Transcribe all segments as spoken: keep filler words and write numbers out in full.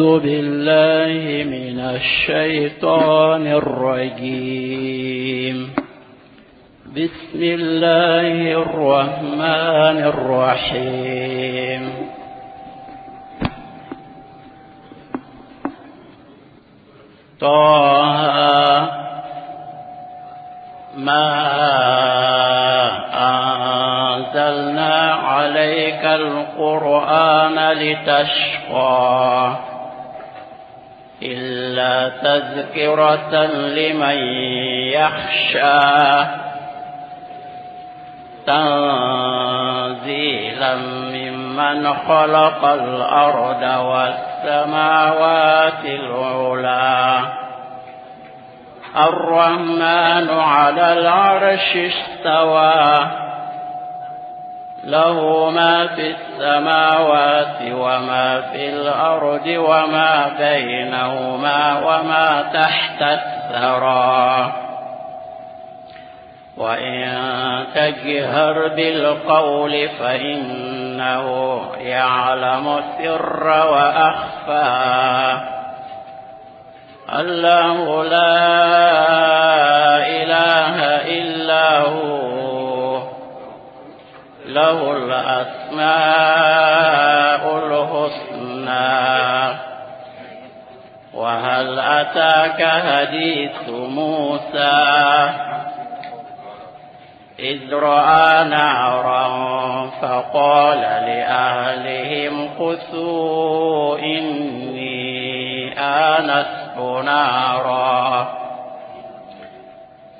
أعوذ بالله من الشيطان الرجيم. بسم الله الرحمن الرحيم. طه ما أنزلنا عليك القرآن لتشقى إلا تذكرة لمن يخشى تنزيلا ممن خلق الأرض والسماوات العلى. الرحمن على العرش استوى، له ما في السماوات وما في الأرض وما بينهما وما تحت الثرى. وإن تجهر بالقول فإنه يعلم السر وأخفى. الله لا إله إلا هو، له الأسماء الحسنى. وهل أتاك حديث موسى إذ رأى نارا فقال لأهلهم كثوا إني آنست نارا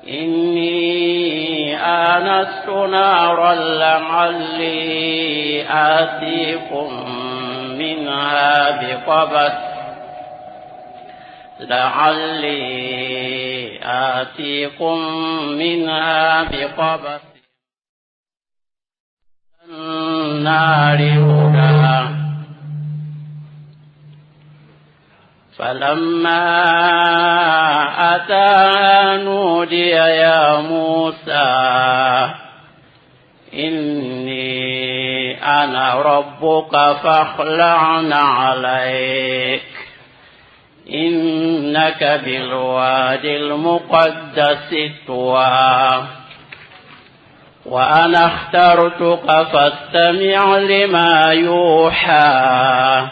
إني آنست نارا لعلي آتيكم منها بقبس لعلي آتيكم منها بقبس النار هدى. فلما أتاها نودي يا موسى إني أنا ربك فاخلع عليك إنك بالوادي المقدس طوى. وأنا اخترتك فاستمع لما يوحى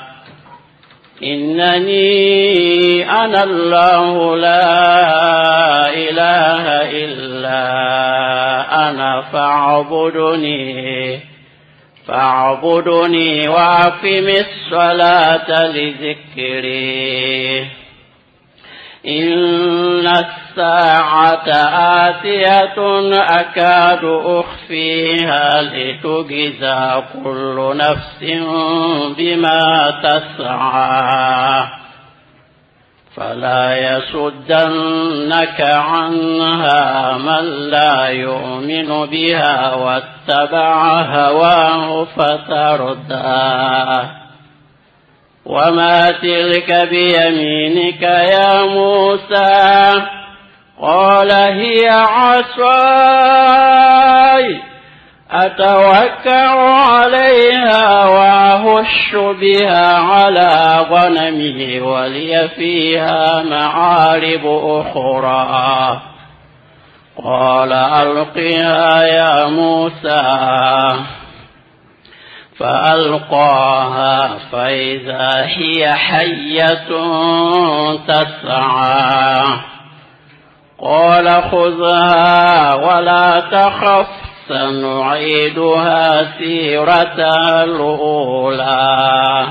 إنني أنا الله لا إله إلا أنا فاعبدني فاعبدني وأقم الصلاة لذكري. إن الساعة آتية أكاد أخفيها لتجزى كل نفس بما تسعى. فلا يصدنك عنها من لا يؤمن بها واتبع هواه فتردى. وما تلك بيمينك يا موسى؟ قال هي عصاي أتوكأ عليها وأهش بها على غنمي ولي فيها معارب أخرى. قال ألقها يا موسى. فألقاها فإذا هي حية تسعى. قال خذها ولا تخف سنعيدها سيرتها الأولى.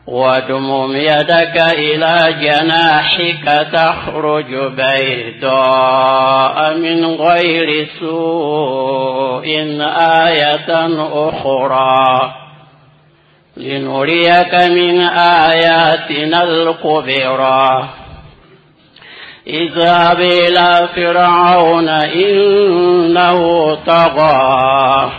واضمم يدك إلى جناحك تخرج بيضاء من غير سوء آية أخرى لنريك من آياتنا الكبرى. اذهب إلى فرعون إنه طغى.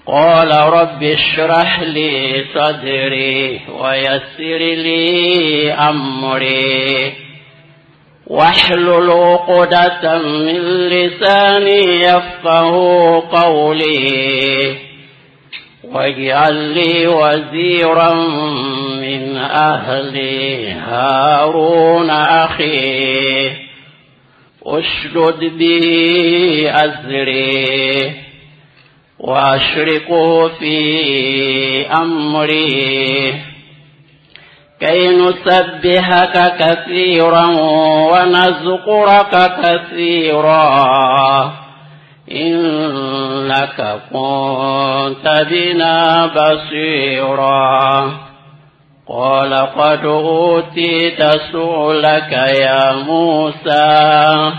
قال رب اشرح لي صدري ويسر لي أمري واحلل عقدة من لساني يفقه قولي واجعل لي وزيرا من أهلي هارون أخي اشدد به أزري وأشركه في أمري كي نسبحك كثيرا ونذكرك كثيرا إنك كنت بنا بصيرا. قال قد أوتيت سؤلك يا موسى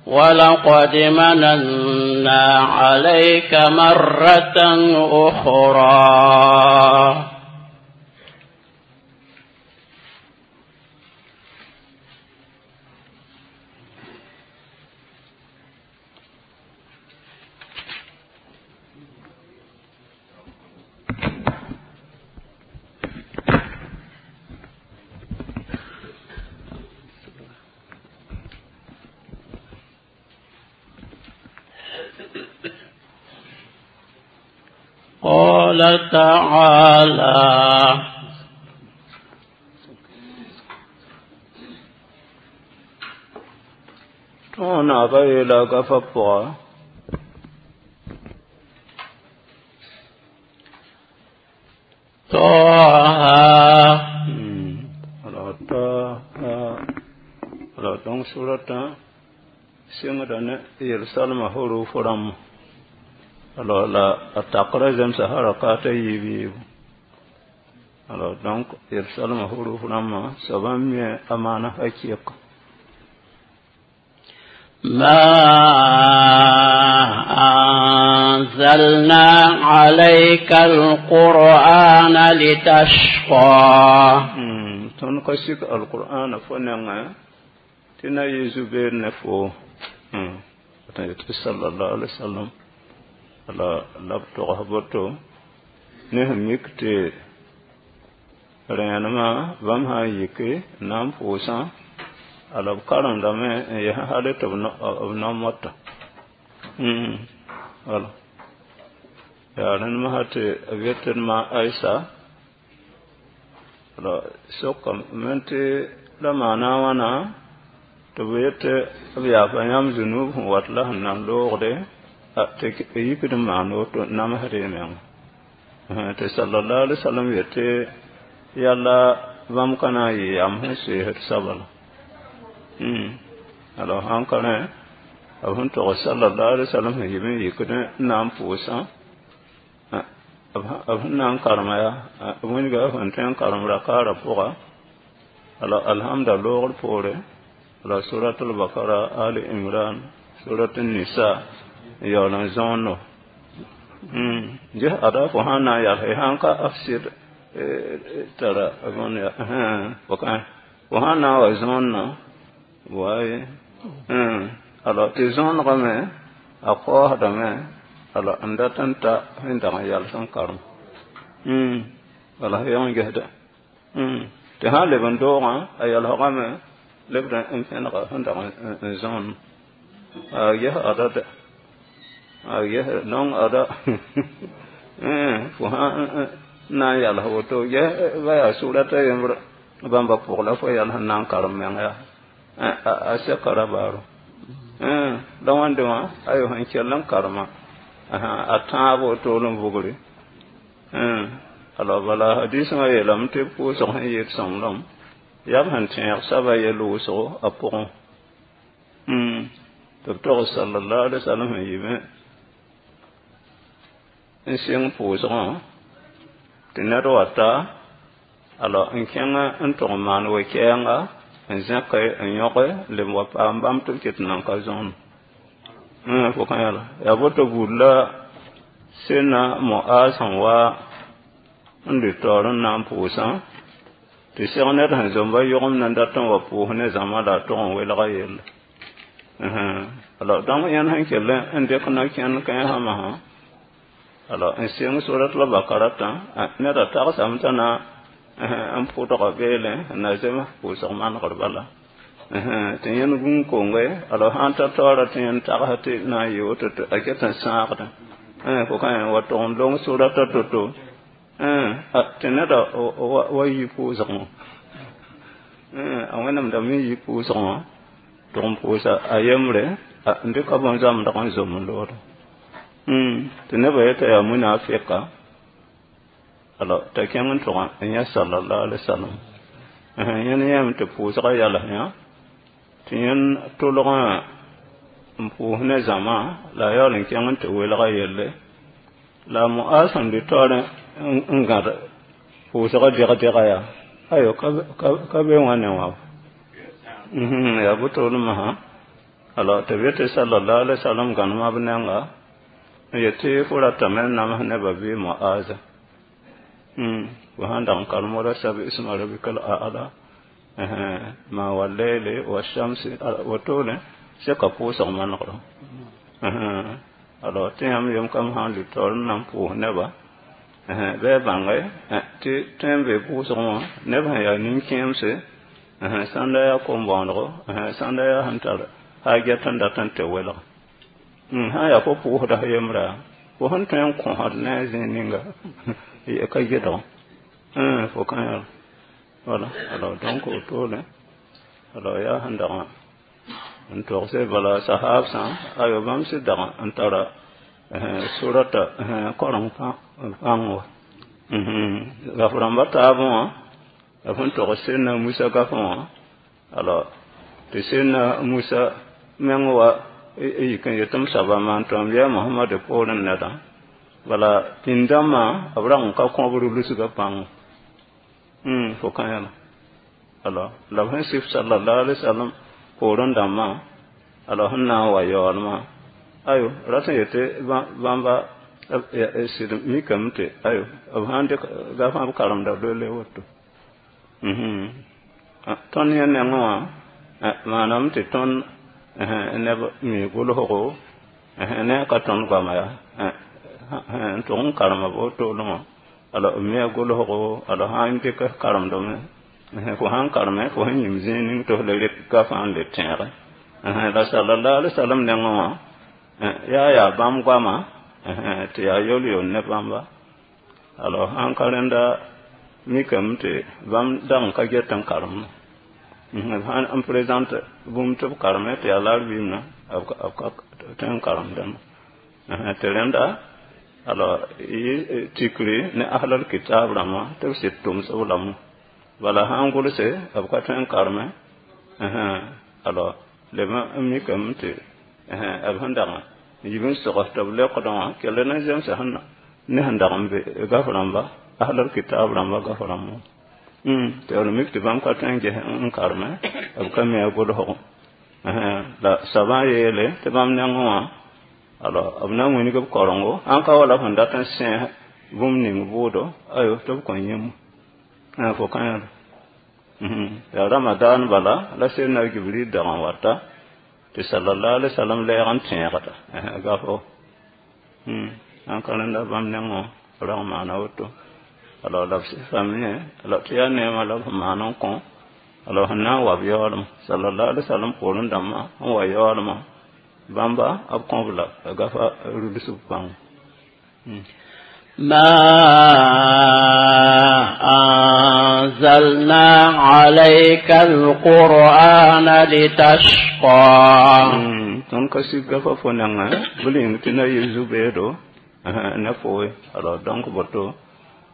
ولقد مننا عليك مرة أخرى. قال تعالى tõog naaba yeela a gafã pʋga طه alors ta alors donc suratã sɩngda ne yel-salmã huruf rãmb alors la a takrã zemsa harakat a yiib yiibu alors donc yel-salmã huruf rãmbã soabã n mi a maana hakɩɩk ما أنزلنا عليك القرآن لتشقى. Tõnd ka sik alqur'ana fo nengẽ tɩ na yɩ zu-beed ne fo tɩ sallallahu alaihi wasallam la la b togs boto ne sẽn mik tɩ rẽenemã bãmb sã n yike n na n pʋʋsã ala b karemdame n yaa hal tɩ b nao mota wala yaa rẽnd masã tɩ b yet d ma Aisa la sokame tɩ la maana a wãna tɩ b yet b yaafa yãmb zunub sẽn wat la sẽn nan loogde tɩ yikd n maan woto namsd y meng tɩ sallallahu alaihi wasallam yetɩ yalla bãmb ka na n yɩ yam sẽn soeesd soaba la alors sãn ka rẽ b sẽn tog sallallahu alaihi wasallam sẽn yib n yikd n na n pʋʋsã b sẽn na n karema yaa wĩnga sẽn tõe n karem rakaarã pʋga alors alhamda loogr poore alors surat al-bakara ali imran surat an-nisa n yaool n zõondo ges ada fo sãn na n yals sãn ka f sɩd tara bõn ya fo sãn na n wa zõonna waye alors tɩ zõonegame a kaoosdame alors n dat n ta sẽn dag n yals n karem wala yã gesda tɩ sãn leb n doogã a yalsgame lebd n pẽnega sẽn dag n zõon a ges ada dɛ a ges nong ada fo sãn na n yals woto ges ba yaa surata yembr bãmba pʋg la fo yals n na n karem meng yaa a sɛka ra baaro la wãnde wã ayo sẽn kell n karema a tãab woto n vugre alors bala hadisã yeelame tɩ pʋʋsg sẽn yɩɩd sõmblem yaa b sẽn tẽeg soaba yell wʋsgo a pʋgẽ tɩ b tog sallallahu alaihi wasallam sẽn yɩ n sɩng pʋʋsgã tɩ ned wa ta alors n kẽng n tʋg n maan we-kɛɛnga n zẽke n yõge leb wa paam bãmb tɩ b ket n nan ka zõon fo kã yãla yaa boto buud la sẽnna Moaz sẽn wa n lʋ taoor n na n pʋʋsã tɩ seg ned sẽn zomba yogem na n dat n wa pʋʋs ne zãma la a tog n welga yelle alors donc yẽnd sẽn kell n dɩk na kẽnd kãensã masã alors n sɩng surat la bakaratã neda tagsame t'a na n pʋdga beelẽ n na zems pʋʋsg manegr bala tɩ yẽnd gũun konge alors sãn ta taoora tɩ yẽnd tags tɩ na n yɩ woto tɩ a ket n sãagdẽ fo ka wa tog n long surata to-to Tɩ neda wa yi pʋʋsgẽ wã a wẽnnaam da me yi pʋʋsgẽ wã tɩg n pʋʋsa a yembre n dɩka bõn-zãmdg n zom n loode tɩ nebã yeta yaa munafɩka alors t'a kẽng n tʋg n yã sallallahu alaihi wasallam yẽnd yãame tɩ pʋʋsgã yals yã tɩ yẽnd tʋlgã n pʋʋs ne zãma la a yaool n kẽng n tɩ welga yelle la Mu'az sẽn lʋ taoorẽ n gãd pʋʋsgã deg-dega yaa ayo ka be wã ne wã yaa bʋtoolmã alors tɩ b yetɩ sallallahu alaihi wasallam gãnema b nenga n yetɩ fo ratame n nams nebã bɩ Mu'aza fo sãn dag n karem wala sabi isma rabbika al-a'la ma wallayli wa shamsi wotone seka pʋʋsg manegr alors tɩ yãmb yem kam sãn lʋ taoor n na n pʋʋs nebã bɩ a bãnge tɩ tõe n be pʋʋsgẽ wã neb sẽn yaa nin-kẽemse sãnda yaa kom-bõonego sãnda yaa sẽn tar haaget n dat n tɩ welg sã n yaa fo pʋʋsda f yembrã fo sẽn tõe n kõsd ne a zĩig ninga ka gɩdg fo kã yaa voilà alors donc wotone alors yaa sẽn dag n togse bala sahabsã ayo bãmb sɩd dag n tara surata koreng pãng wa gaf rãmba taabẽ wã b sẽn tog Sẽdna Musa gafẽ wã alors tɩ Sẽdna Musa meng wa yik n yet m soaba maan tõem yaa Mohamad poorẽ nedã bala pĩnd-dãmbã b rag n ka kõbr lusgã pãng fo kã yãla alors la b sẽn sif sallallahu alaihi wasallam poorẽ dãmbã alors sẽn na n wa yaoolmã ayo rat n yetɩ bãmba sɩd mikame tɩ ayo b sãn dɩk gafã b karemda loe woto tõnd yẽ nengẽ wã maaname tɩ tõnd neb mi gʋlsgo ne ka tõnd goama yaa n tʋg n karema b wotone wã alors b mia gʋlsgo alors sã n dɩk karemdame fo sãn kareme fo sẽn yĩm zĩig ning tɩ f le rek gafã n le tẽege la sallallahu alaihi wasallam nengẽ wã yaa yaa bãmb goama tɩ yaa yol-yol ne bãmba alors sãn ka rẽnda mikame tɩ bãmb dag n ka get n karem sãn n présente bũmb tɩ b kareme tɩ yaa larbiimna b ka tõe n karemdame tɩ rẽnda alors tikri ne ahlal kitab rãmbã tɩ b sɩd tʋmsb lame bala sãn gʋlse b ka tõe n kareme alors leb n mikame tɩ b sẽn dag n yib n sogs tɩ b leokdã wã kell na zemsa sẽn ne sẽn dag n be gaf rãmba ahlal kitab rãmba gaf rãmbã tɩ b mik tɩ bãmb ka tõe n ges n kareme b ka mi a gʋlsgo la soabã yeele tɩ bãmb nengẽ wã alors b na n wilg b korengo ãn ka wala sẽn dat n sẽes bũmb ning bʋʋdo ayo tɩ b kõn yẽmb fo kã yãla yaa ramadan bala la Sẽdna Jibril dag n wata tɩ sallallahu alaihi wasallam lɛɛg n tẽegda gafo ãn ka rẽnda bãmb nengẽ wã rag maana woto alors la b sɩfame alors tɩ yaa neemã la b sẽn maan n kõ alors sẽn na n wa b yaoolem sallallahu alaihi wasallam poorẽ dãmbã sẽn wa yaoolmã bãmba b kõb la gafa rulsb pãng ما أنزلنا عليك القرآن لتشقى tõnd ka sig gafa fo nengẽ bɩ ning tɩ na yɩ zu-beedo ne foe alors donc boto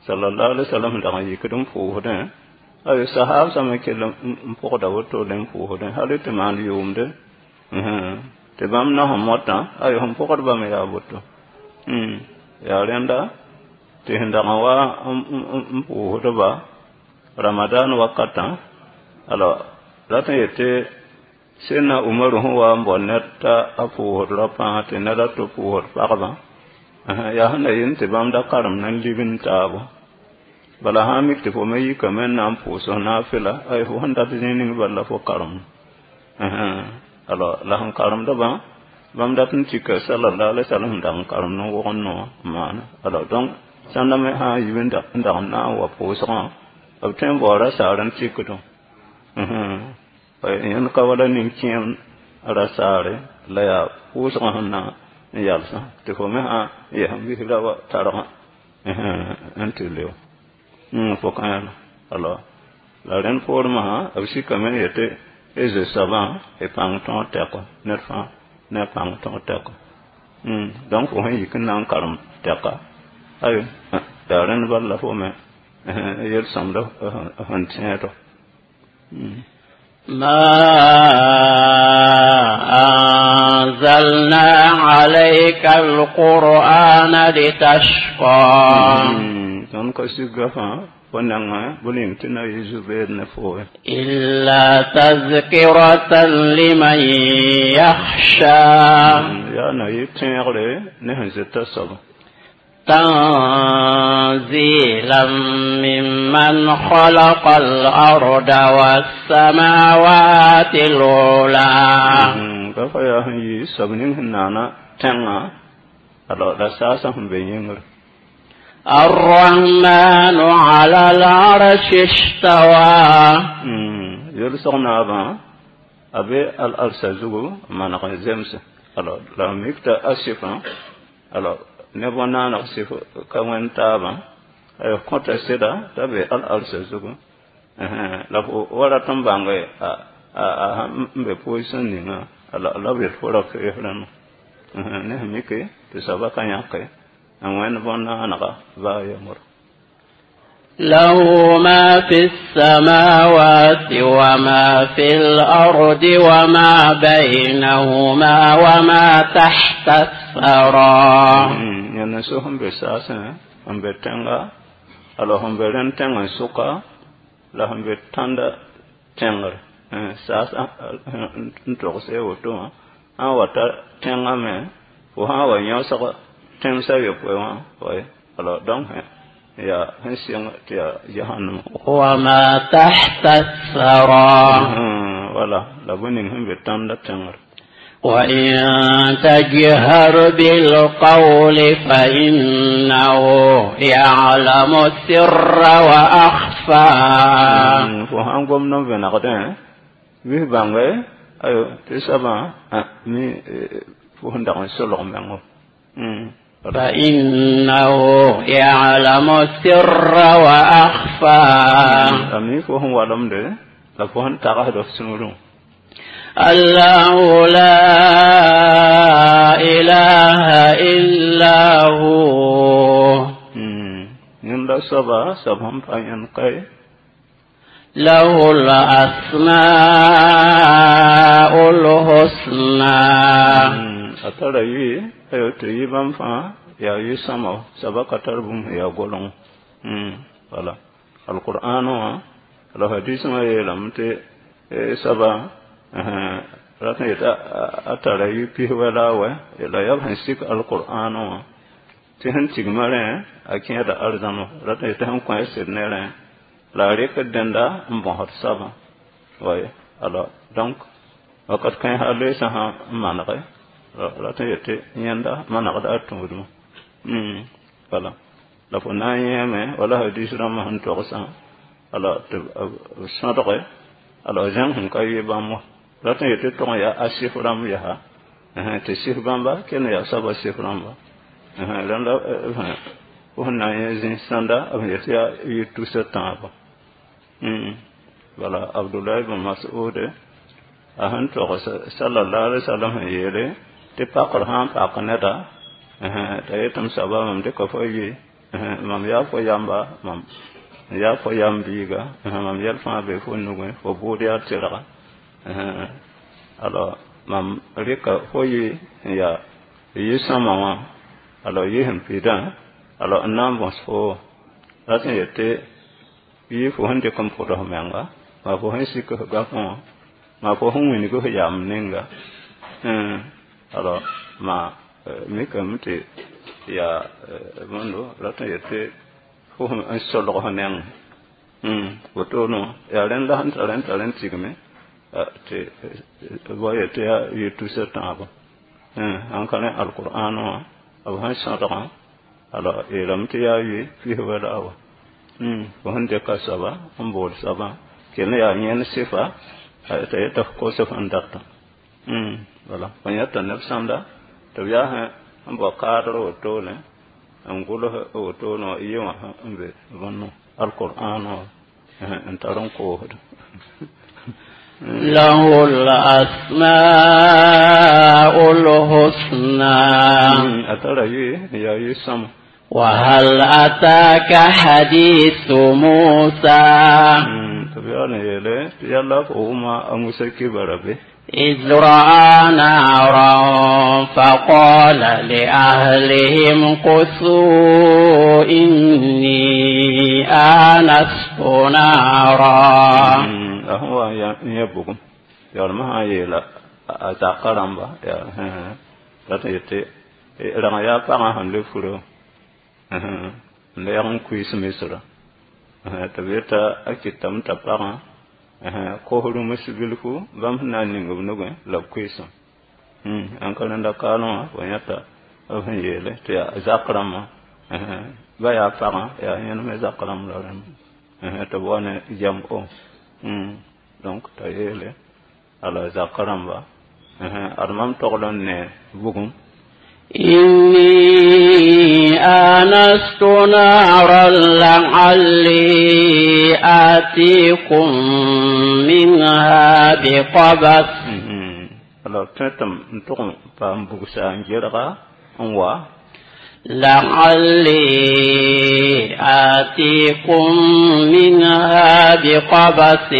sallallahu alaihi wasallam dag n yikd n pʋʋsdẽ ayo sahab sã me kell n pʋgda woto le n pʋʋsdẽ hal tɩ maan yʋʋmde tɩ bãmb na sẽn motã ayo sẽn pʋgdbã me yaa boto yaa rẽnda tɩ sẽn dag n wa n pʋʋsdba ramadan wakatã alors rat n yetɩ Sẽdna Umaru sẽn wa n bao ned t'a a pʋʋsd rao-pãag tɩ ned a to pʋʋsd pagba yaa sẽn na yɩl tɩ bãmb da karem na n lign taabo bala sã n mik tɩ fo me yikame n na n pʋʋs naafɩla ay fo sẽn dat zĩig ning bala la fo karem alors la sẽn karemdbã bãmb dat n tika sallallahu alaihi wasallam sẽn dag n karem n wʋgd noor n maana alors donc sãnda me sã n yib n dag n na n wa pʋʋsgã b tõe n baoora saar n tikdẽ yẽnd ka wala nin-kẽem ra saare la yaa pʋʋsgã sẽn na n yalsã tɩ fo me sã n yes n bisra wa targã n tɩ leo fo kã alors la rẽnd poormã b sikame n yetɩ y zoe soabã y pãng tõog tɛkɔ ned fãa ne a pãng tõog tɛkɔ donc fo sẽn yik n na n karem tɛka ayo yaa rẽnd bal la fo me yel-sõmda sẽn tẽedɔ ما أنزلنا عليك القرآن لتشقى tõnd ka sig gafã fo nengẽ bʋ ning tɩ na yɩ zu-beed ne foo إلا تذكرة لمن يخشى yaa na yɩ tẽegre ne sẽn zeta soaba تنزيلا ممن خلق الأرض والسماوات العلى gafa yaa sẽn yɩ soab ning sẽn naana tẽngã alors la saasã sẽn be yĩngr الرحمن على العرش استوى yel-sog naabã a be al-arsa zugu n maneg n zemse alors la mik t'a a sɩfã alors ne bõn-naaneg sɩf ka wẽnd taabã kõta sɩda t'a be al-arsa zugu la fo wa rat n bãnge a n be position ninga alors la b yet fo ra fees rãmba ne sẽn mike tɩ soabã ka yãke n wẽnd bõn-naanega baa yembr له ما في السماوات وما في الأرض وما بينهما وما تحت الثرى yẽnd so sẽn be saasẽ n be tẽnga alors sẽn be rẽnd tẽng n sʋka la sẽn be tãnda tẽngr saas n togs woto wã sã n wa ta tẽngã me fo sã n wa yõsg tẽmsã yopoe wã alors donc yaa sẽn sɩng tɩ yaa jahannam وما تحت الثرى wala la bõe ning sẽn be tãnda tẽngr وإن تجهر بالقول فإنه يعلم السر وأخفى fo sãn gom n vẽnegdẽ wis bãnge ayo tɩ soabã mi fo sẽn dag n solg mengo فإنه يعلم السر وأخفى a mi fo sẽn walemde la fo sẽn tagsd f sũurẽ الله لا إله إلا هو yẽnda soaba soab sẽn pa yẽnd kae له الأسماء الحسنى a tara yʋɩ ayo tɩ yɩ bãmb fãa yaa yʋ-sõma soaba ka tar bũmb sẽn yaa goleng wala alqur'an wã la hadismã yeelame tɩ soaba rat n yetɩ a tara yʋ pis wɛ la a wɛ la yaa b sẽn sik alqur'an wã tɩ sẽn tigmã rẽ a kẽeda arzãma rat n yetɩ sẽn kõ a sed ne rẽ la a rɩkd dẽnda n bõsd soabã way alors donc wakat kãe hal loeesã sã n manege rat n yetɩ yẽnda manegda a tũudmã wala la fo na n yẽeme wala hadis rãmbã sẽn togsã alors tɩ b sõdge alors zẽng sẽn ka yɩ bãmb wã rat n yetɩ tʋg n yaa a sɩf rãmb yaa tɩ sɩf bãmba kell n yaa soabã sɩf rãmba rẽnda fo sẽn na n yẽ zĩ sãnda b yetɩ yaa yɩ tusa tãabã wala abdullah ibn mas'ud a sẽn togs sallallahu alaihi wasallam sẽn yeele tɩ pakr sã n pak neda t'a yetɩ m soaba mam dɩka fo yɩ mam yaa fo yamba mam yaa fo yam biiga mam yɛl fãa be fo nugẽ fo bʋʋd yaa tɩrga alors mam rɩka fo yɩ n yaa yɩ-sõma wã alors yɩ sẽn pidã alors n na n bõs fo rat n yetɩ yɩ fo sẽn dɩk n pʋd f menga maa fo sẽn sik f gafẽ wã maa fo sẽn wilg f yam ninga alors ma mikame tɩ yaa bõndo rat n yetɩ fo n solg f neng wotone yaa rẽnd la sẽn tar n tar n tigme tɩ ba yetɩ yaa yɩ tusa tãabã sãn ka rẽ alqur'an wã b sẽn sõdgã alors yeelame tɩ yaa yʋɩ pis wɛ la a wa fo sẽn dɩka soaba n bool soabã kell n yaa yẽnd sɩfa t'a yeta f kos f sẽn datã wala fo yãta neb sãmda tɩ b yaa sẽn bao kaadr wotone n gʋls woto no yẽ wã n be bõn alqur'an wã n tar n koosd. له الأسماء الحسنى. A tara yʋɩ yaa yʋ-sõma. وهل أتاك حديث موسى؟ Tɩ b yaool n yeele tɩ yalla fo wʋma a Musa kibara be? إذ رأى نارا فقال لأهلهم كثوا إني آنست نارا. A sẽn wa n yã bugum yaoolmã sã n yeela a zakã rãmba rat n yetɩ rãng yaa pagã sẽn le furo n lɛɛg n kuiis misrã tɩ b yeta a kɩtame t'a pagã kos rũms bilfu bãmb sẽn na n ning b nugẽ la b kuiisã ãn ka rẽnda kaalẽ wã fo yãta b sẽn yeele tɩ yaa zak rãmbã ba yaa pagã yaa yẽnd me zak rãmb la rẽmb tɩ b wa ne jam-o donc t'a yeele ala zak rãmba ad mam togl n ne bugum. إني آنست نارا لعلي آتيكم منها بقبس. Alors tõe tɩ m tʋg n paam bugsa n gerga n wa. لعلي آتيكم منها بقبس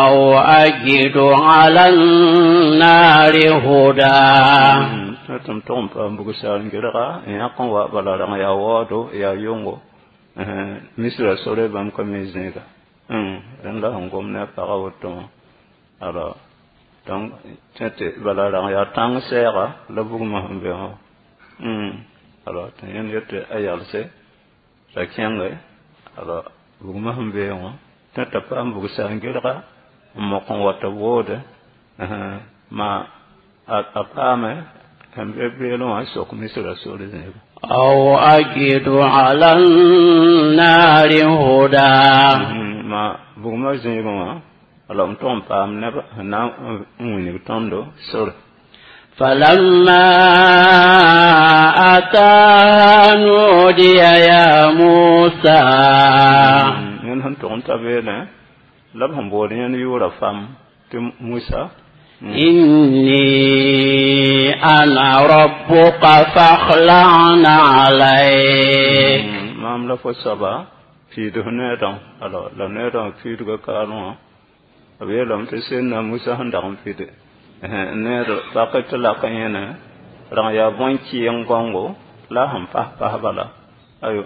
أو أجد على النار هدى. Tõe tɩ m tʋg n paam bugsa n gerga n yãk n wa bala rãng yaa waoodo yaa yongo misra sore bãmb ka me zẽega rẽnd la sẽn gom ne a pagã woto wã. Alors donc tõe tɩ bala rãng yaa tãng sɛɛga la bugmã sẽn be wã. Alors tɩ yẽnd yetɩ a yalse t'a kẽnge alors bugmã sẽn be wã tõe t'a paam bugsa n gerga n mok n wa tɩ b woode ma a paame sẽn be beelẽ wã sok misra sore zẽega. أو أجد على النار هدى. Ma bugmã zẽegẽ wã alors m tʋg n paam neb sẽn na n wilg tõndo sore. فلما أتاها نودي يا موسى. Yẽnd sẽn tʋg n ta beelẽ la b sẽn bood yẽnd yʋʋra fam tɩ Musa. إني أنا ربك فاخلع نعليك. Maam la fo soaba piidf needã alors la needã piidga kaalẽ wã b yeelame tɩ sẽnna Musa sẽn dag n pide need pak tɩ lak yẽne rãng yaa bõn-kɩɩng gãongo la a sẽn pas pas bala ayo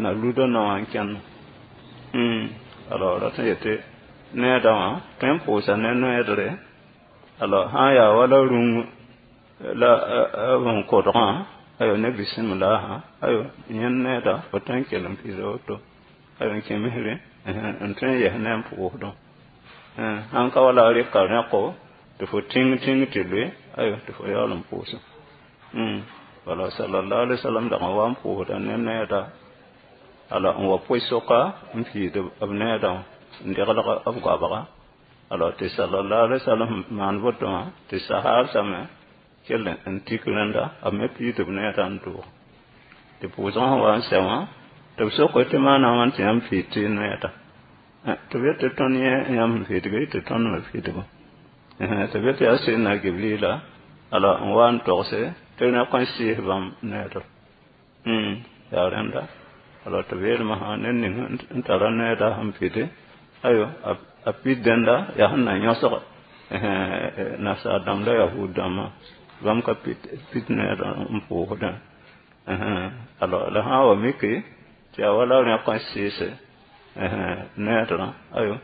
na luda nao wã n kẽnd alors rat n yetɩ needã wã tõe n pʋʋsa ne noeedre alors sã n yaa wala rũng la b sẽn kodgã ayo ne bisimlaha ayo yẽnd needa fo tõe n kell n pida woto ayo n kẽ misrẽ n tõe n yes ne n pʋʋsdẽ sãn ka wala a rɩka rẽko tɩ fo tĩng tĩng tɩ loe ayo tɩ fo yaool n pʋʋsẽ wala sallallahu alaihi wasallam dag n wa n pʋʋsda ne needa alors n wa pʋɩ-soka n piid b needã wã n deglg b goabga alors tɩ sallallahu alaihi wasallam maan woto wã tɩ sahaabsame kell n tik rẽnda b me piid b needã n doog tɩ pʋʋsgã sẽn wa n sɛ wã tɩ b soke tɩ maana wãn tɩ yãmb piid tɩ noeeda tɩ b yetɩ tõnd yẽ yãmb sẽn piidge tɩ tõnd me piidgẽ tɩ b yetɩ yaa sẽnna Gibrila alors n wa n togse tɩ rẽk n sɩɩs bãmb needr yaa rẽnda alors tɩ b yeelmã sã ned ning n tara needa sẽn pide ayo a pid dẽnda yaa sẽn na yõsg nasaar dãmb la yahud dãmbã bãmb ka pit needã n pʋʋsdẽ alors la sã n wa miki tɩ yaa wala rẽk n sɩɩse needrã ayo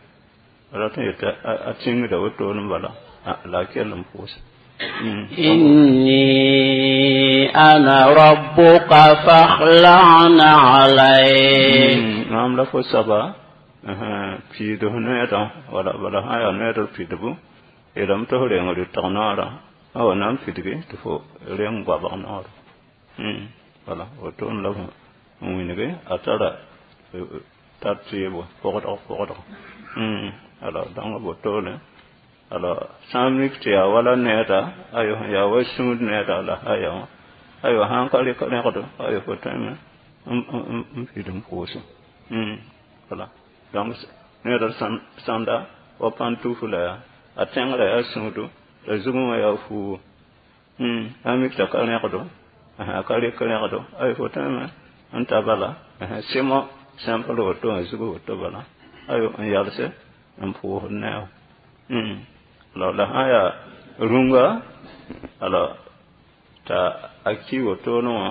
rat n yetɩ a tĩngda wotone bala la a kell n pʋʋse. إني أنا ربك فاخلع نعليك. Maam la fo soaba piidf noeedã wala bala sã yaa noeedr pidbu yeelame tɩ f reng rɩtg noorã a wa na n pidgi tɩ fo reng goabg noorã wala wotone la n wilge a tara tar tɩɩbo pʋgdg pʋgdg alors dãng wotone alors sã n mik tɩ yaa wala needa ayo yaa wa sũud needa la aya wã ayo sãn ka rɩk rẽgdo ayo fo tõeme n piid n pʋʋsẽ wala donc ned sãnda wa pãntufl la yaa a tẽngrã yaa sũudu la zugẽ wã yaa fuugo a mik t'a ka rẽgdo a ka rek rẽgdo ay fo tõeme n ta bala sɩmõ simple woto wã zug woto bala ayo n yalse n pʋʋsd ne a alors la sã yaa rũnga alors t'a a ki wotone wã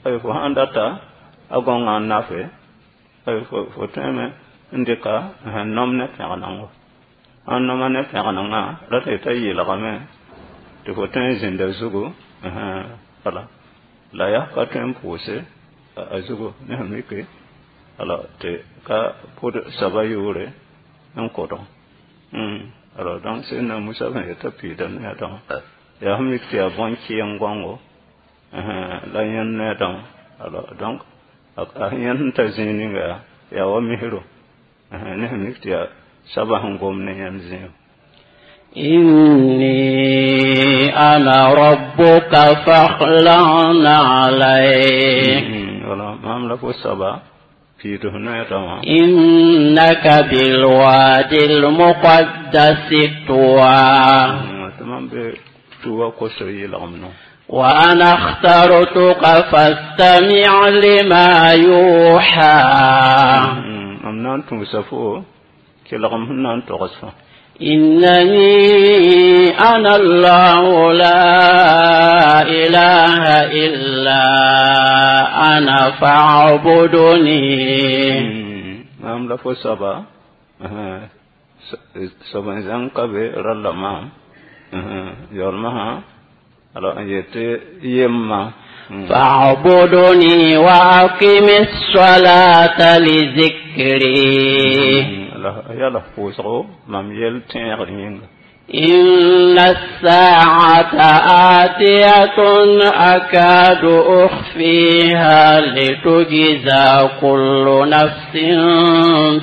ay fo sãn data a gõngã n nafe ay fo tõeme n dɩka nom ne pẽgenengo sãn noma ne pẽgenengã ra tɩ t'a yeelgame tɩ fo tõe n zĩnda zugu wala la yaa ka tõe n pʋʋse a zugu ne sẽn mike alors tɩ ka pʋd soaba yʋʋre n kʋdg alors donc Seydina Musa sẽn yetã piida ne a dãmba yaa sẽn mik tɩ yaa bõn-kɩɩng gõngo la yẽnd ne a dãmba alors donc a yẽnd sẽn ta zĩig ninga yaa yaa wa misro ne sẽn mik tɩ yaa soaba sẽn gom ne yẽnd zĩigo إني أنا ربك فاخلع نعليك wala maam la fo soaba piid f noya dãmba إنك بالوادي المقدس طوى tɩ mam be tuwa koso yɩlgem no وأنا اخترتك فاستمع لما يوحى mam na n tũusa fo kelgem sẽn na n togs fo إنني أنا الله لا إله إلا أنا فاعبدني maam la fo soaba soab n zãng ka be ralla maam yaoolmã sã alors n yetɩ yemma فاعبدني وأقم الصلاة لذكري yaa la pʋʋsgo mam yel tẽegr yĩnga إن الساعة آتية أكاد أخفيها لتجزى كل نفس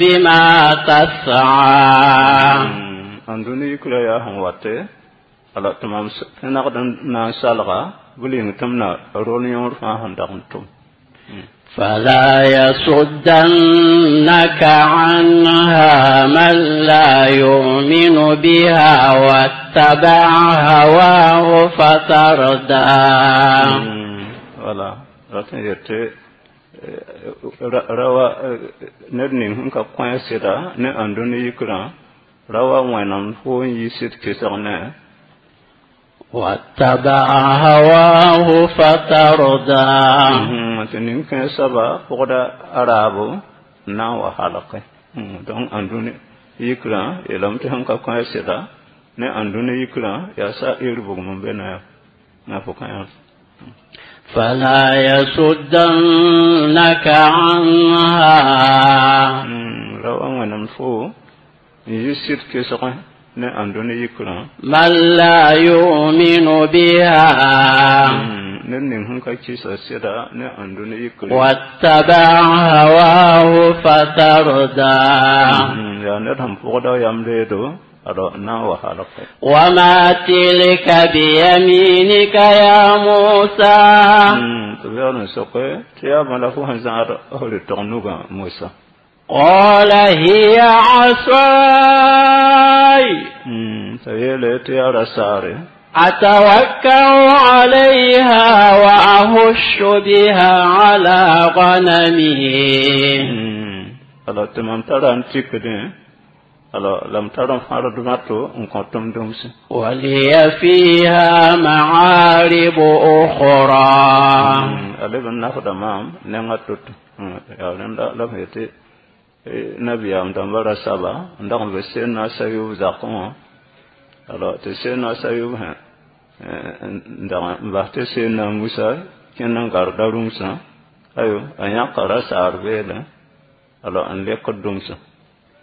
بما تسعى ãndũni yikrã yaa sẽn wate alors tɩ mam nagd n na n salga bɩ ling tɩ m na rol yõor fãa sẽn dag n tʋm فلا يصدنك عنها من لا يؤمن بها واتبع هواه فتردى wala rat n yetɩ rawa ned ning sẽn ka kõ sɩda ne ãndũni yikrã rawa wẽnem fo n yi sɩd kesg ne واتبع هواه فتردى tɩ nin-kãens soaba pʋgda a raabo n na n wa halke donc ãndũni yikrã yeelame tɩ sẽn ka kõ sɩda ne ãndũni yikrã yaa sa ir bugm n be na na fo kã فلا يصدنك عنها rawa wẽnem fo n yi sɩd kesg ne ãndũni yikrã من لا يؤمن بها ned ning sẽn ka kɩsa sɩda ne ãndũni yikrã واتبع هواه فتردى yaa ned sẽn pʋgda yam leedo alors n na n wa halke وما تلك بيمينك يا موسى tɩ b yaool n soke tɩ yaa bãla fo sẽn zãad f rɩtg nugã Mosa قال هي عصاي t'a yeele tɩ yaa ra-saare أتوكأ عليها وأهش بها على غنمي alors tɩ mam tara n tikdẽ alors la m tar n fãrd mato n kõ tʋm dũmsẽ ولي فيها معارب أخرى a leb n nafda maam nengã to-to yaa rẽnda la b yetɩ nabiyaam dãmbã ra saba n dag n be Seydina Sayub zakẽ wã alors tɩ Seydina Sayub sẽ n dag n bas tɩ Seydina Musa kẽnd n garda rũmsã ayo a yãka ra-saar beelẽ alors n lekd dũmsã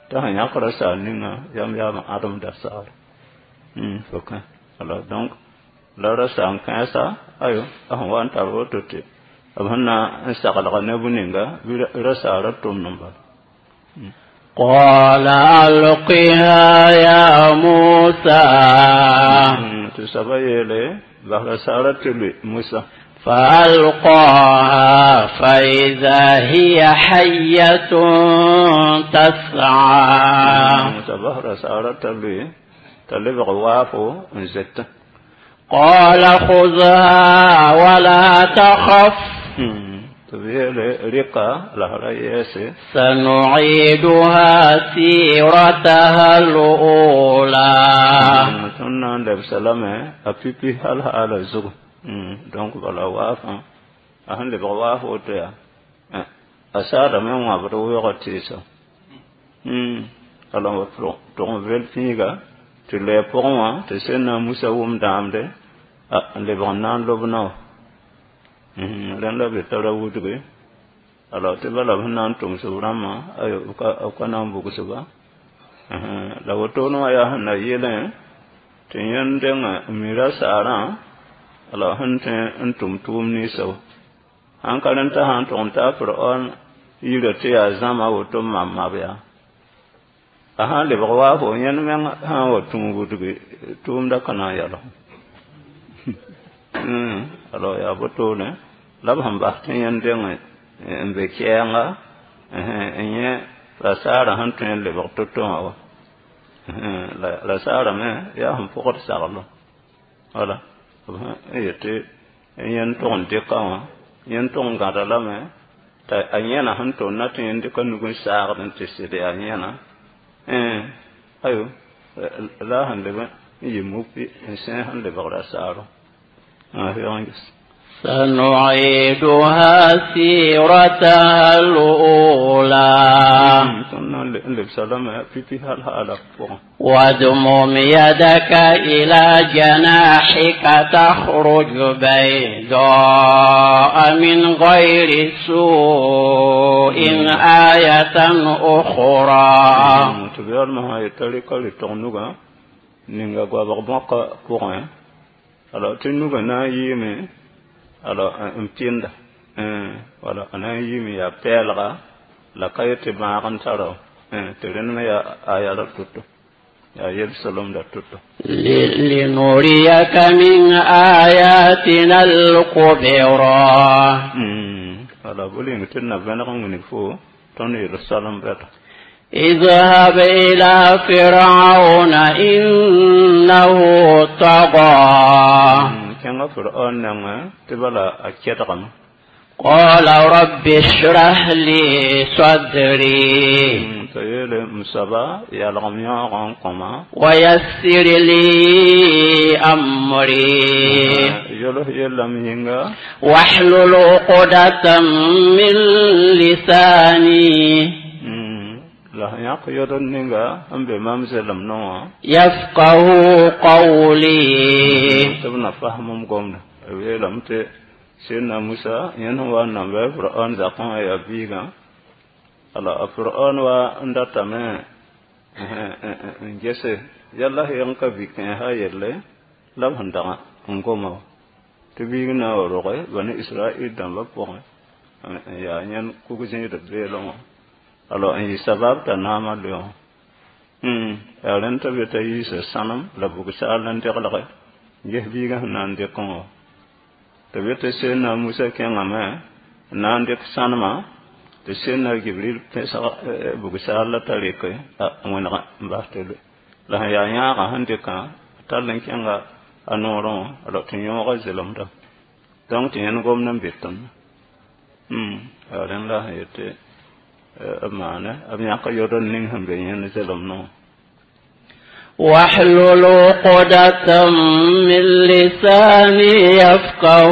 t'a sẽn yãk ra-saar ninga yam yaam ãdemda saar fo kã alors donc la ra-saar n kãensa ayo a sẽn wa n tar woto tɩ b sẽn na n saglga ne bu-ninga bɩ ra-saarã tʋmd n bala قال ألقها يا موسى tɩ soaba yeele bas ra-saarã tɩ lʋɩ Musa فألقاها فإذا هي حية تسعى. T'a bas rasaarã t'a loe t'a lebg waafo n zoetẽ. قال خذها ولا تخف. Tɩ b yeele rɩka la f ra yɛɛse. سنعيدها سيرتها الأولى. Tõnd na n lebsa lame a pipi hal haala zugu. Donc bala waafã a sẽn lebg waaf woto yaa a saadame n wãbd weoogã tɩɩsa ala tʋg n vel pĩiga tɩ loɛ pʋgẽ wã tɩ sẽn na Musa wʋm dãamde n lebg n na n lob nao rẽnd la be tara wudge. Alors tɩ bala b sẽn na n tʋms b rãmbã b ka na n bugsba la wotone wã yaa sẽn na yeelẽ tɩ yẽnd deng n mi rasaarã alors sẽn tõe n tʋm tʋʋm ninsã wa sãn ka rẽnd t'a sãn tʋg n taa Firaon yirã tɩ yaa zãma woto n mam mab yaa a sãn lebg waafo yẽnd meng sã n wa tũ wudgi tʋʋmda ka na n yalg. Alors yaa wotone la b sẽn bas tɩ yẽnd deng n be kɛɛnga n yẽ rasaarã sẽn tõe n lebg to-to wã wa rasaarã me yaa sẽn pʋgd saglo wala b sẽn yetɩ yẽnd tʋg n dɩka wã yẽnd tʋg n gãda lame t'a a yẽna sẽn tʋm na tɩ yẽnd dɩka nug n saagd n tɩ sɩd yaa yẽna ayo la a sẽn leb n yɩ mupi n sẽe sẽn lebg rasaaro. سنعيدها سيرتها الأولى. Tõnd na n lebsa lame pipi hal haala pʋgẽ. واضمم يدك إلى جناحك تخرج بيضاء من غير سوء آية أخرى. Tɩ b yaoolmã sã yeta rɩka rɩtg nugã ninga goabg bõka pʋgẽ alors tɩ nugã na n yɩɩme alors n pɩnda wala a na n yɩɩme yaa pɛɛlga la ka yet tɩ bãag n tara tɩ rẽnd me yaa aya la to-to yaa yel-solemda to-to. لنريك من آياتنا الكبرى. Wala bʋ tɩ d na vẽneg n wilg fo tõnd yel-soalem bɛda. اذهب إلى فرعون إنه طغى. Kẽnga Firaon nengẽ tɩ bala a kɛdgame. قال رب اشرح لي صدري. T'a yeele m soaba yalgem yãoogã n kõma. ويسر لي أمري. Yols yellame yĩnga. واحلل عقدة من لساني. La sẽn yãk yod n ninga n be mam zelem no wã. يفقه قولي. Tɩ b na fasem m gomda b yeelame tɩ Sẽdna Musa yẽnd sẽn wa n namba Firaon zakẽ wã yaa biigã alors a Firaon wa n datame n gese yalla sẽn ka bi kẽesa yelle la b sẽn dag n goma wa tɩ biig na n wa roge bani Israel dãmbã pʋgẽ n yaa yẽnd kug-zẽedb beelẽ wã alors n yɩ sabab t'a naamã loeong yaa rẽnd t'a be t'a yiisa sãnem la bug-saal n deglge ges biigã sẽn na n dɩkẽ wã tɩ be tɩ Sẽdna Musa kẽngame n na n dɩk sãnema tɩ Sẽdna Gibril pẽsg bug-saal la t'a rɩke wẽneg n bas tɩ loe la sẽn yaa yãagã sẽn dɩkã tall n kẽnga a noorẽ wã alors tɩ yõogã zelemda donc tɩ yẽnd gomd n be tõnd yaa rẽnd la sẽn yetɩ b maane b yãk yod n ning sẽn be yẽnd zelem no. واحلل عقدة من لساني يفقه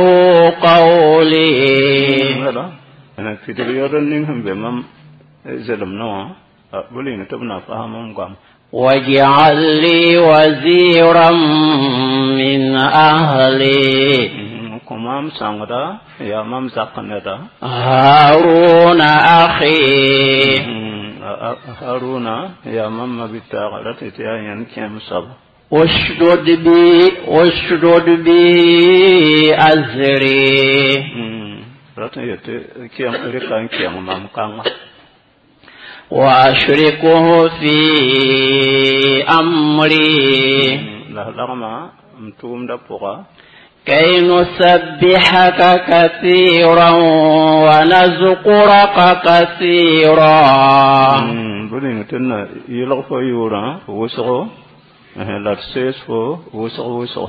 قولي. Wala pidig yod n ning sẽn be mam zelem no wã bʋ ning tɩ b na fasem m goam. واجعل لي وزيرا من أهلي. Kõ maam sõngda yaa mam zak neda. هارون أخي. Haruna yaa mam mabitaaga la tɩ tɩ yaa yẽnd kẽem soaba. اشدد بي اشدد به أزري. Rat n yetɩ rɩka n kẽeng mam kãnga. وأشركه في أمري. La lagma m tʋʋmdã pʋga. كي نسبحك كثيرا ونذكرك كثيرا bõe tɩ na yɩlg fo yʋʋrã wʋsgo la d sees fo wʋsg wʋsgo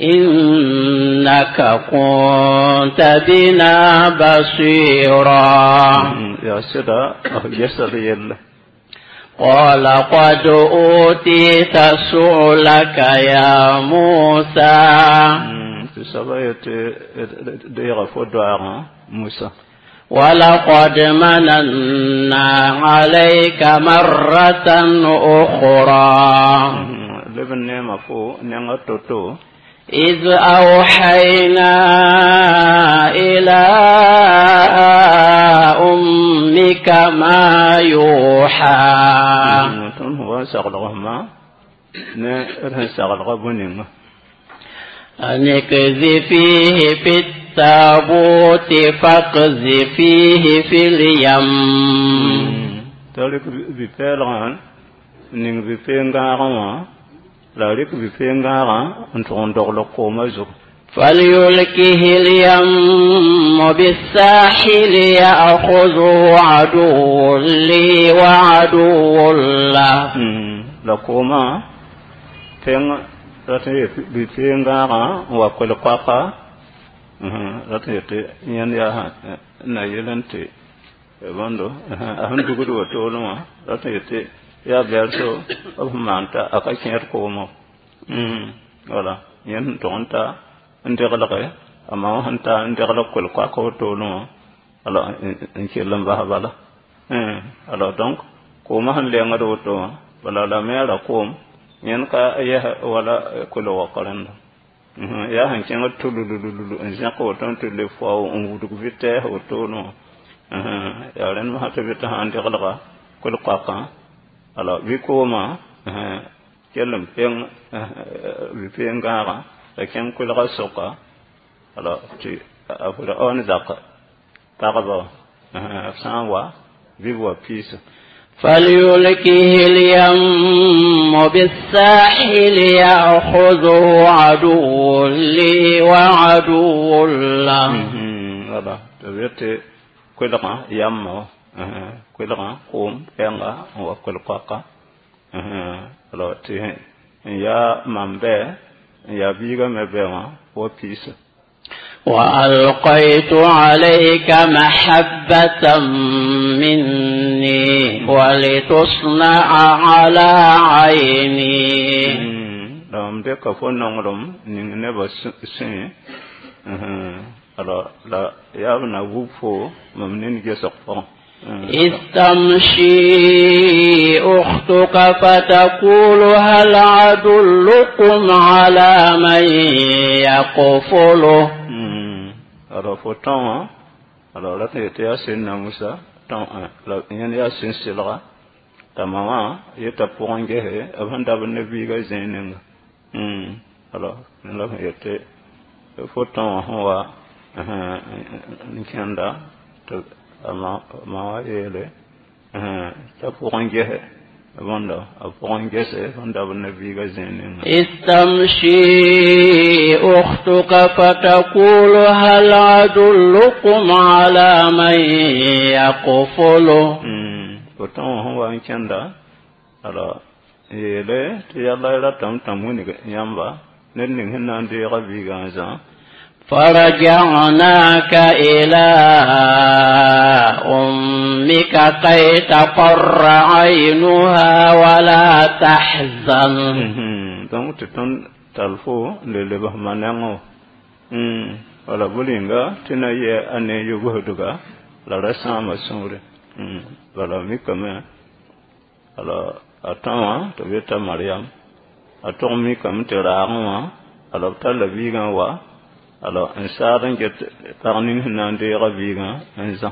إنك كنت بنا بصيرا yaa sɩda f gesd yelle قال قد أوتيت سؤلك يا موسى tɩ soaba yetɩ deega fo doaagã Musa ولقد مننا عليك مرة أخرى leb n neema fo nenga to-to إذ أوحينا إلى أمك ما يوحى tõnd sẽn wa n saglg fma ne d sẽn saglga bũ-ninga أن اقذفيه في التابوت فاقذفيه في اليم t'a rɩk bi-pɛɛlgã n ning bi-peen-gãagã wã la a rɩk bi-peen-gãagã n tʋg n dogl koomã zugu فليلكه اليم بالساحل يأخذه عدو لي وعدو له la koomã pẽng rat n yet bi-peen-gãagã n wa koel-koaka rat n yetɩ yẽnd yaa na yel n tɩ bõndo a sẽn dugd wotone wã rat n yetɩ yaa bɛlso b sẽn maan t'a a ka kẽed koomã wala yẽnd sẽn tʋg n ta n deglge a ma wã sẽn ta n deglg koel-koaka wotone wã alors n kell n bas bala alors donc koomã sẽn lengd woto wã bala la me ra koom yẽnd ka yɛs wala koel-wok rẽnda yaa sẽn kẽngd tululululu n zẽk woto n tɩ le fao n wudg vɩtɛɛs wotone wã yaa rẽnd masã tɩ bɩ tɩ sã n deglga koel-koakã alors bɩ koomã kell n peng bi-peen-gãagã la kẽng koelgã sʋka alors tɩ a Firaoon zak pagba wã b sã n wa bɩ b wa piisa فليلكه اليم بالساحل يأخذه عدو لي وعدو له wala tɩ b yetɩ koelgã yamma wã koelgã koom pɛnga n wa koel-koaka alors tɩ n yaa mam bɛ n yaa biigã me bɛ wã wa piisa وألقيت عليك محبة مني ولتصنع على عيني la mam dɩka fo nonglem ning nebã sẽe alors la yaa b na wub fo mam nin gesg pʋgẽ إذ تمشي أختك فتقول هل أدلكم على من يكفله alors fo tão wã alors rat n yetɩ yaa sẽnna Musa tão la yẽnd yaa sẽn sɩlga t'a ma wã yeta pʋgẽ gese b sẽn dabd ne biigã zẽe ninga alors la b sẽn yetɩ fo tão wã sẽn wa n kẽnda tɩ a ma wã yeele t'a pʋgẽ gese bõndo a pʋgẽ gese sẽn dabd ne biigã zẽe ninga إذ تمشي أختك فتقول هل أدلكم على من يكفله fo tão wã sẽn wa n kẽnda alors yeele tɩ yalla ratame tãm wilg yãmba ned ning sẽn na n deega biigã n zã فرجعناك إلى أمك كي تقر عينها ولا تحزن donc tɩ tõnd tall fo n le lebs ma nengẽ wala bʋ-rĩnga tɩ na yɛ a ne yʋbsdga la ra sãama sũure bala mikame alors a tão wã tɩ b yeta Mariam a tʋg mikame tɩ raagẽ wã alors b talla biigã n wa alors n saad n get pag ning sẽn na n deega biigã n zã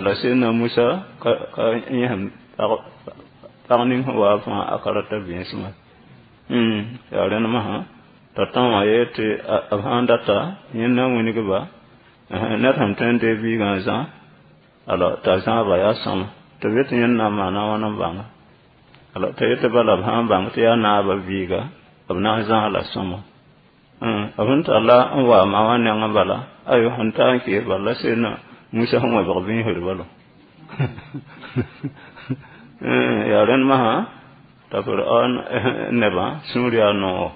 la sẽnna Musa ka ka yẽsem pag ning sẽn wa fãa a ka rata vẽesmã yaa rẽnd masã t'a tão wã yee tɩ b sãn data yẽnd na wilgba ned sẽn tõe n dee biigã n zã alors t'a zãaba yaa sõma tɩ b yetɩ yẽnd na n maana wãn n bãnga alors t'a yetɩ bala b sã n bãng tɩ yaa naabã biiga b na n zãs la sõma B sẽn talla n wa ma wã nengẽ bala ayo sẽn ta n kees bala la sẽnna Musa sẽn wẽbg bĩisr bala yaa rẽnd masã t'a Firaon nebã sũur yaa noogo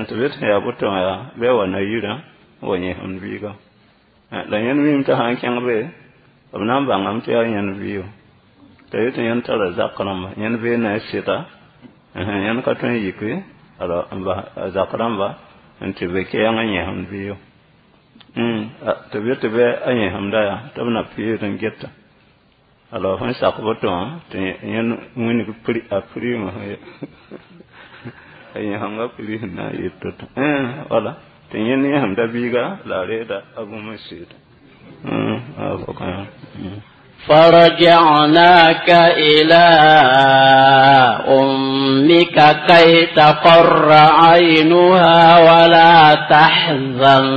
tɩ b yet sẽn yaa boto wã yaa bɩ a wa na-yirã n wa yẽsem biiga la yẽnd miime t'a sã n kẽng be b na n bãngame tɩ yaa yẽnd biigo t'a yet tɩ yẽnd tara zak rãmba yẽnd bee ne a sɩda yẽnd ka tõe n yike alors n bas a zak rãmba n tɩ be kɛɛng n yẽsem biigo tɩ b yet tɩ bɩ a yẽsemda yaa tɩ b na peed n geta alors sẽn sak boto wã tɩ yẽnd wĩnig a prime a yẽsemga pri sẽn na n yɩ to-to wala tɩ yẽnd yẽsemda biiga la a reeda a bũmb n sɩɩda فرجعناك إلى أمك كي تقر عينها ولا تحزن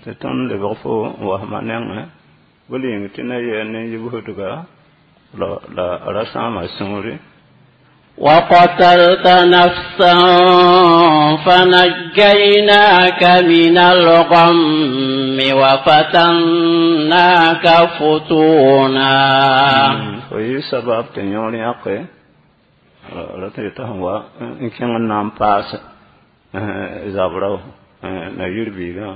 tɩ tõnd lebg fo n wasmã nengẽ bɩ yĩng tɩ na yɛɛ ne yibsdga la la ra sãama sũuri وقتلت نفسا فنجيناك من الغم وفتناك فتونا fo yɩ sabab tɩ yõor yãke ra tɩ t'a sẽn wa n kẽng n na n paas zabra na yir biigã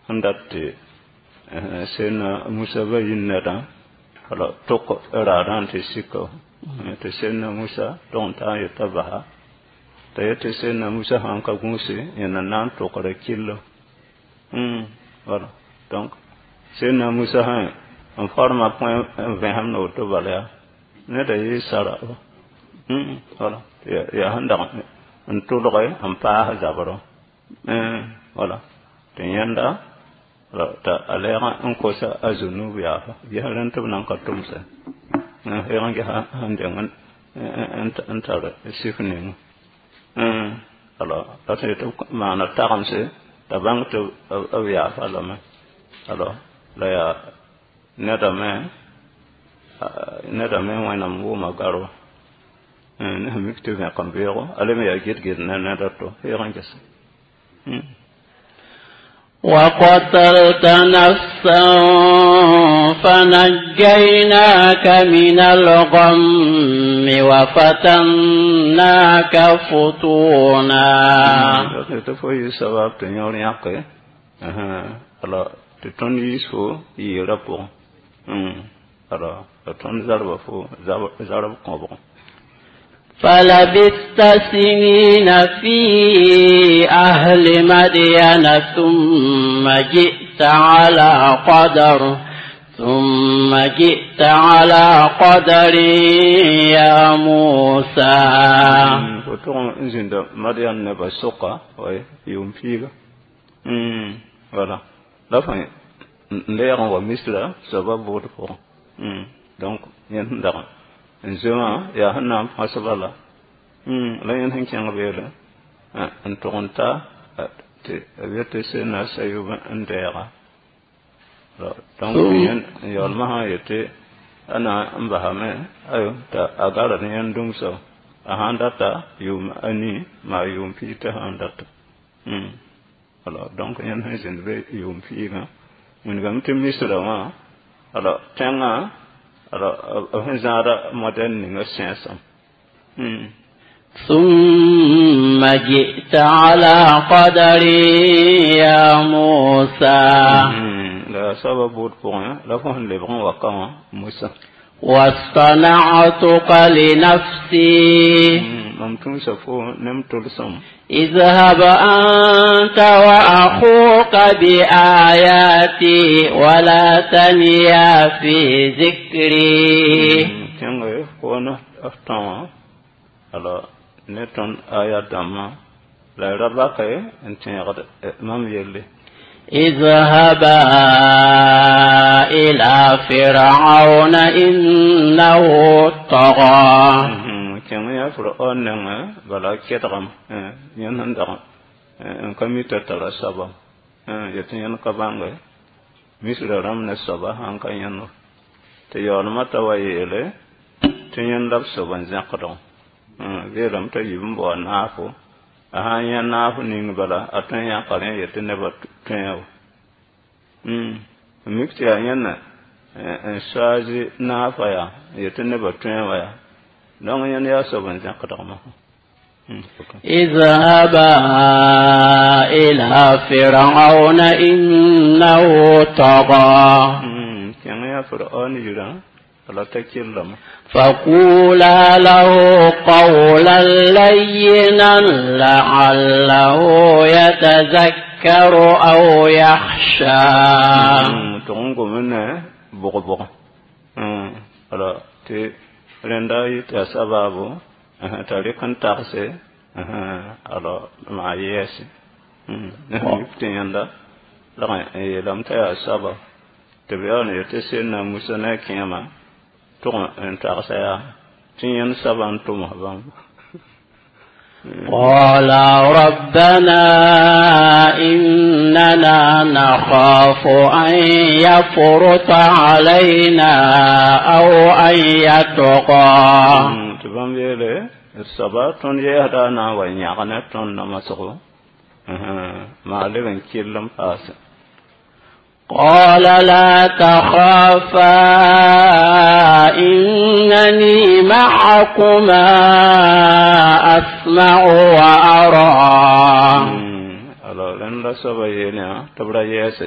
sẽn dat tɩ sẽnna Musa ba yĩn nedã la tok raadã n tɩ sika tɩ sẽnna Musa tog n taa n yeta basa t'a yet tɩ sẽnna Musa sãn ka gũuse yẽna na n tokra kɩllo voilà donc sẽnna Musa sã n forma põe n vẽsem na woto bala yaa neda yɩ sara voilà yaa sẽn dag n tʋlge n paas zabrã voilà tɩ yẽnda t'a a lɛɛg n kosa a zunub yaafa ges rẽnd tɩ b nan ka tʋmsẽ heeg n gesa sẽn deng n tar sif ning alors la tɩ tɩ b maana tagemse t'a bãng tɩ b yaafa lame alors la yaa neda me neda me wẽnnaam wʋʋma garba ne sẽn mik tɩ vẽk n beoogo a le me yaa gɩd-gɩd ne ned a to heeg n gese وقتلت نفسا فنجيناك من الغم وفتناك فتونا tɩ fo yɩ sabab tɩ yõor yãke alors tɩ tõnd yiis fo yɩɩrã pʋgẽ alors la tõnd zarba fo zarb kõbgẽ فلبثت سنين في أهل مدين ثم جئت على قدر ثم جئت على قدر يا موسى fo tʋg n zĩnda Madian nebã sʋka way yʋʋm piiga voilà la fõ n lɛɛg n wa Misra soaba bʋʋd pʋgẽ donc yẽnd sẽn dag n zoe wã yaa sẽn na n põsba la la yẽnd sẽn kẽng beele n tʋg n ta tɩ b yet tɩ sẽnna sayub n dɛɛga donc yẽnd n yaoolmã sã n yetɩ a na n basame ayo t'a a gara ne yẽnd dũmsa a sãn data yʋʋm a nii maa yʋʋm piig t'a sãn data alors donc yẽnd sẽn zĩnd be yʋʋm piigã wilgame tɩ Misra wã alors tẽngã alors b sẽn zãada modɛl ninga sẽesem ثم جئت على قدر يا موسى la soaba buud pʋgẽ la fo sẽn lebg n wa ka wã Musa واصطنعتك لنفسي mam tũusa fo ne m tʋlsem اذهب أنت وأخوك بآياتي ولا تنيا في ذكري kẽnge koon f tão alors ne tõnd aya dãmbã la y ra bake n tẽegd mam yelle اذهبا إلى فرعون إنه طغى kẽng yaa Firaon nengẽ bala kɛdgem yẽnd sẽn dag n ka mi t'a tara soaba yetɩ yẽnd ka bãnge Misra rãmb ne soaba sãn ka yẽnd tɩ yaoolmã t'a wa yeele tɩ yẽnd la b sob n zẽkdg beelame t'a yib n bao naafo A sã n yã naaf ning bala a tõe n yãka rẽ n yet tɩ nebã tõe wa n mik tɩ yaa yẽnna n soaaz naafa yaa n yet tɩ nebã tõe wa yaa donc yẽnd yaa soab n zẽkdg masã. اذهبا إلى فرعون إنه طغى. Kẽng yaa Firaon yirã la t'a killame. فقولا له قولا لينا لعله يتذكر أو يخشى. Tɩg n gom ne bʋg-bʋg ala tɩ rẽnda yɩ tɩ yaa sabaabo t'a rɩk n tagse ala maa yɛɛse mik tɩ yẽnda lag n yeelame t'a yaa sabab tɩ b yaool n yet tɩ Sẽdna Musa ne a kẽema tʋg n tagsa yaa tɩ yẽnd saba n tʋms bãmb. قالا ربنا إننا نخاف أن يفرط علينا أو أن يطغى. Tɩ bãmb yeele d soaba tõnd yɛɛsda na n wa yãg ne tõnd namasgo maa leb n kell n paase. قال لا تخافا إنني معكما أسمع وأرى. Alors rẽnd la soaba yeel yã tɩ b ra yɛɛse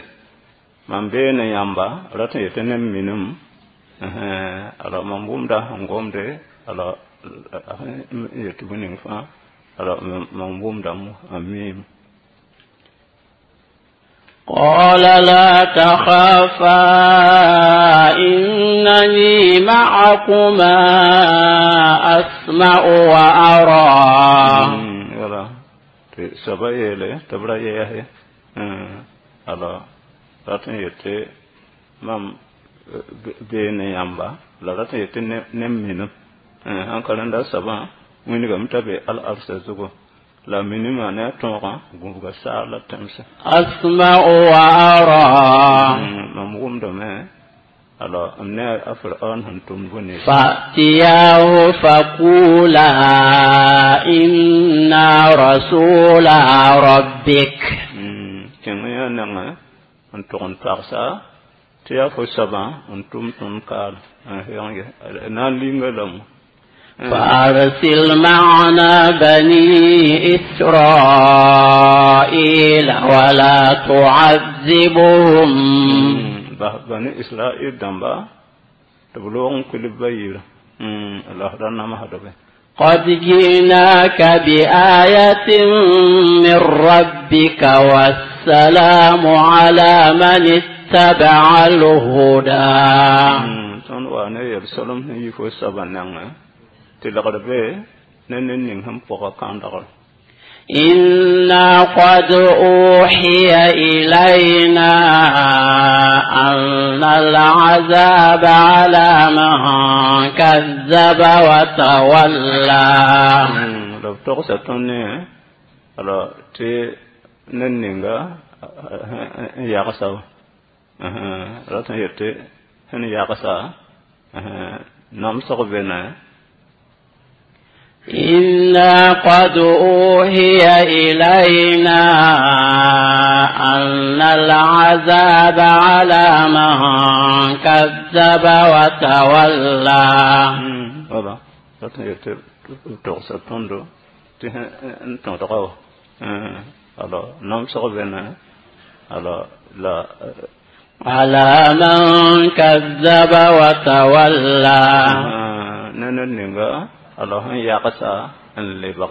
mam bee ne yãmba rat n yetɩ ne minim alors mam wʋmda sẽn gomde alors yetɩ bũ ning fãa alors mam wʋmdame n miime. قال لا تخافا إنني معكما أسمع وأرى. Wala tɩ soaba yeele tɩ b ra yɛɛse alors rat n yetɩ mam bee ne yãmba la rat n yetɩ ne minim sãn ka rẽnda soabã wĩnigame t'a be al-arsa zugu la minimã ne a tõogã gũbga saar la tẽmsẽ. أسمع وأرى. Mam wʋmdame alors m ne a Firaon sẽn tʋmd bũ-ninsã. فأتياه فقولا إنا رسولا ربك. Kẽng yã nengẽ n tʋg n tagsa tɩ yaa fo soabã n tʋm tõnd kaal na n linga lame. فأرسل معنا بني إسرائيل ولا تعذبهم. Bas bani Israil dãmba tɩ b loog n kuil b ba yirã la f ra namsdbe. قد جئناك بآية من ربك والسلام على من اتبع الهدى. Tõnd wa ne yel-solem sẽn yi fo soabã nengẽ tɩ lagd be ne ned ning sẽn pʋga kãndgr. إنا قد أوحي إلينا أن العذاب على من كذب وتولى. La b togsa tõnd ne alors tɩ ned ninga n yagsa rat n yet tɩ sẽn yagsa namsg be ne. إنا قد أوحي إلينا أن العذاب على من كذب وتولى. Wala rat n yet tɩ b togsa tõndo tɩ n tõdga wa alors namsg be ne alors la على من كذب وتولى. Ne ned ninga alors sẽn yagsa n lebg.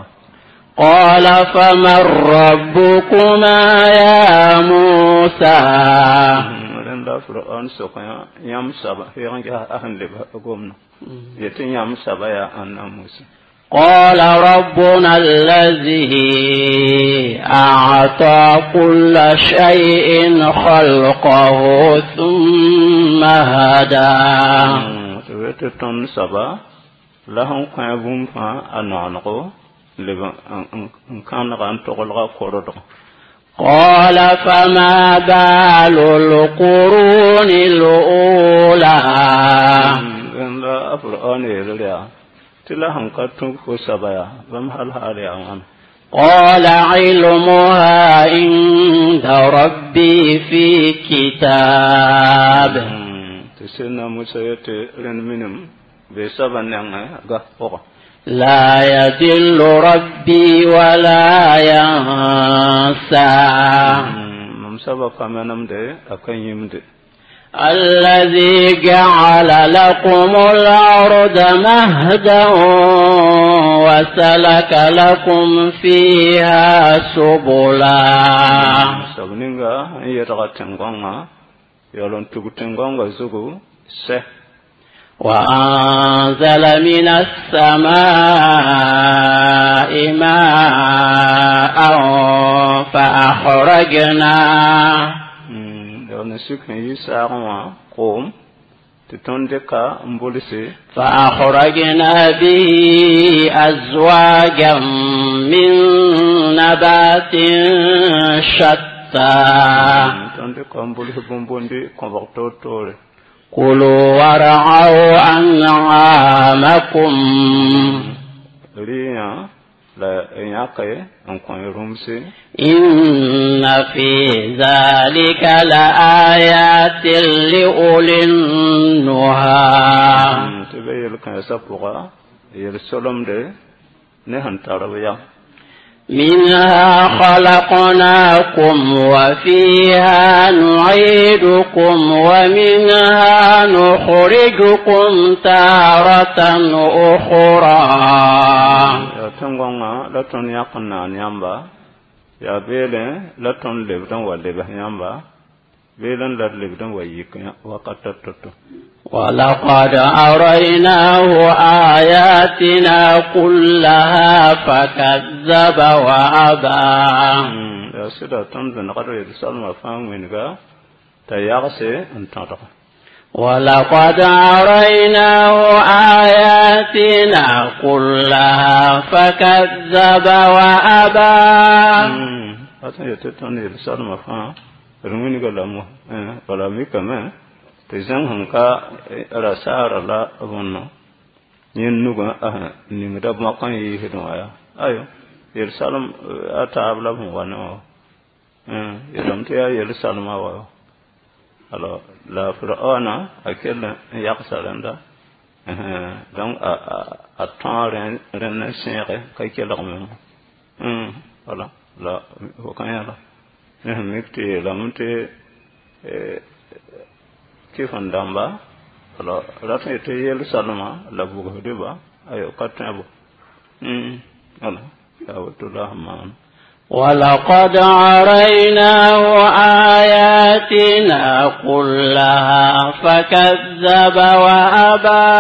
قال فمن ربكما يا موسى؟ Rẽnda Firaon sok yãmb soaba heeg n ges a sẽn leb gomdã yetɩ yãmb soaba yaa ãnna Musa? قال ربنا الذي أعطى كل شيء خلقه ثم هدى. Tɩ tõnd soaba la sẽn kõ bũmb fãa a noanego leb n kãnega n toglga kordg. قال فما بال القرون الأولى؟ Rẽnda a Firaon yeel yaa tɩ la sẽn ka tũb fo soaba yaa bãmb hal haal yaa wãna? قال علمها عند ربي في كتاب. Tɩ sẽdna Musa yetɩ rẽnd minim bee soabã nengẽ ga pʋgã. لا يضل ربي ولا ينسى. Mam soabã pa manemde, a ka yĩmde. الذي جعل لكم الأرض مهدا وسلك لكم فيها سبلا. Soab ninga n yedga tẽn-gõngã yaool n tug tẽn-gõngã zugu sɛ. وأنزل من السماء ماء فأخرجنا Yaool n sik n yi saagẽ wã koom tɩ tõnd dɩka n bulse. فأخرجنا به أزواجا من نبات شتى. Tõnd dɩka n buls bũmb-bũndi kõbg toor-toore. كلوا وارعوا أنعامكم. Rɩyã la yãke n kõ y rũmse. إن في ذلك لآيات لأولي النهى. Tɩ be yel-kãensã pʋga yel-solemde ne sẽn tar b yam. منها خلقناكم وفيها نعيدكم ومنها نخرجكم تارة أخرى. Yaa tẽn-gõngã la tõnd yãk n naan yãmba, yaa beelẽ la tõnd lebd n wa lebs yãmba, beelẽ la d lebd n wa yik wakata to-to. ولقد أريناه آياتنا كلها فكذب وأبى. Yaa sɩda tõnd vẽnegd yel-soalmã fãa wĩnga t'a yagse n tõdg. ولقد أريناه آياتنا كلها فكذب وأبى. A tõe yetɩ tõnd yel-soalmã fãa d wĩnga lame, bala mikame tɩ zãng sẽn ka rasaara la võnno yẽnd nugã ningda bõk n yiisdẽ wã yaa ayo yel-salem a taab la b sẽn wa ne wã yeelame tɩ yaa yel-salmã wa. Alors la Firaona a kell n yagsa rẽnda, donc a a tõa rẽnd n sẽege ka kelg me. Voilà, la fo kã yãla ne sẽn mik tɩ yeelame tɩ kɩf n dãmba alors rat n yetɩ yel-salmã la bugsdba ayo ka tõe bo. Voilà, yaa woto la sẽn maan. ولقد أريناه آياتنا كلها فكذب وأبى.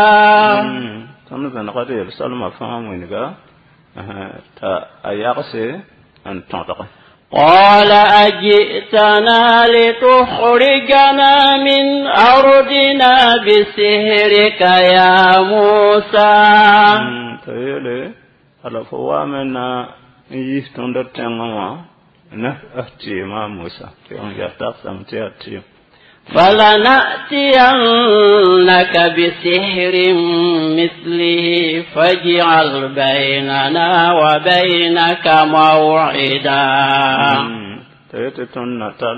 Tõnd vẽnegd yel-salmã fãa wĩnga t'a a yagse n tõdg. قال أجئتنا لتخرجنا من أرضنا بسحرك يا موسى؟ T'a yeele ala fo waame na n yis tõnd d tẽngã wã ne f tɩɩmã Mosa tɩ n yaa tagsame tɩ yaa tɩɩm. فلنأتينك بسحر مثله فاجعل بيننا وبينك موعدا. T'a yetɩ tõnd na tall.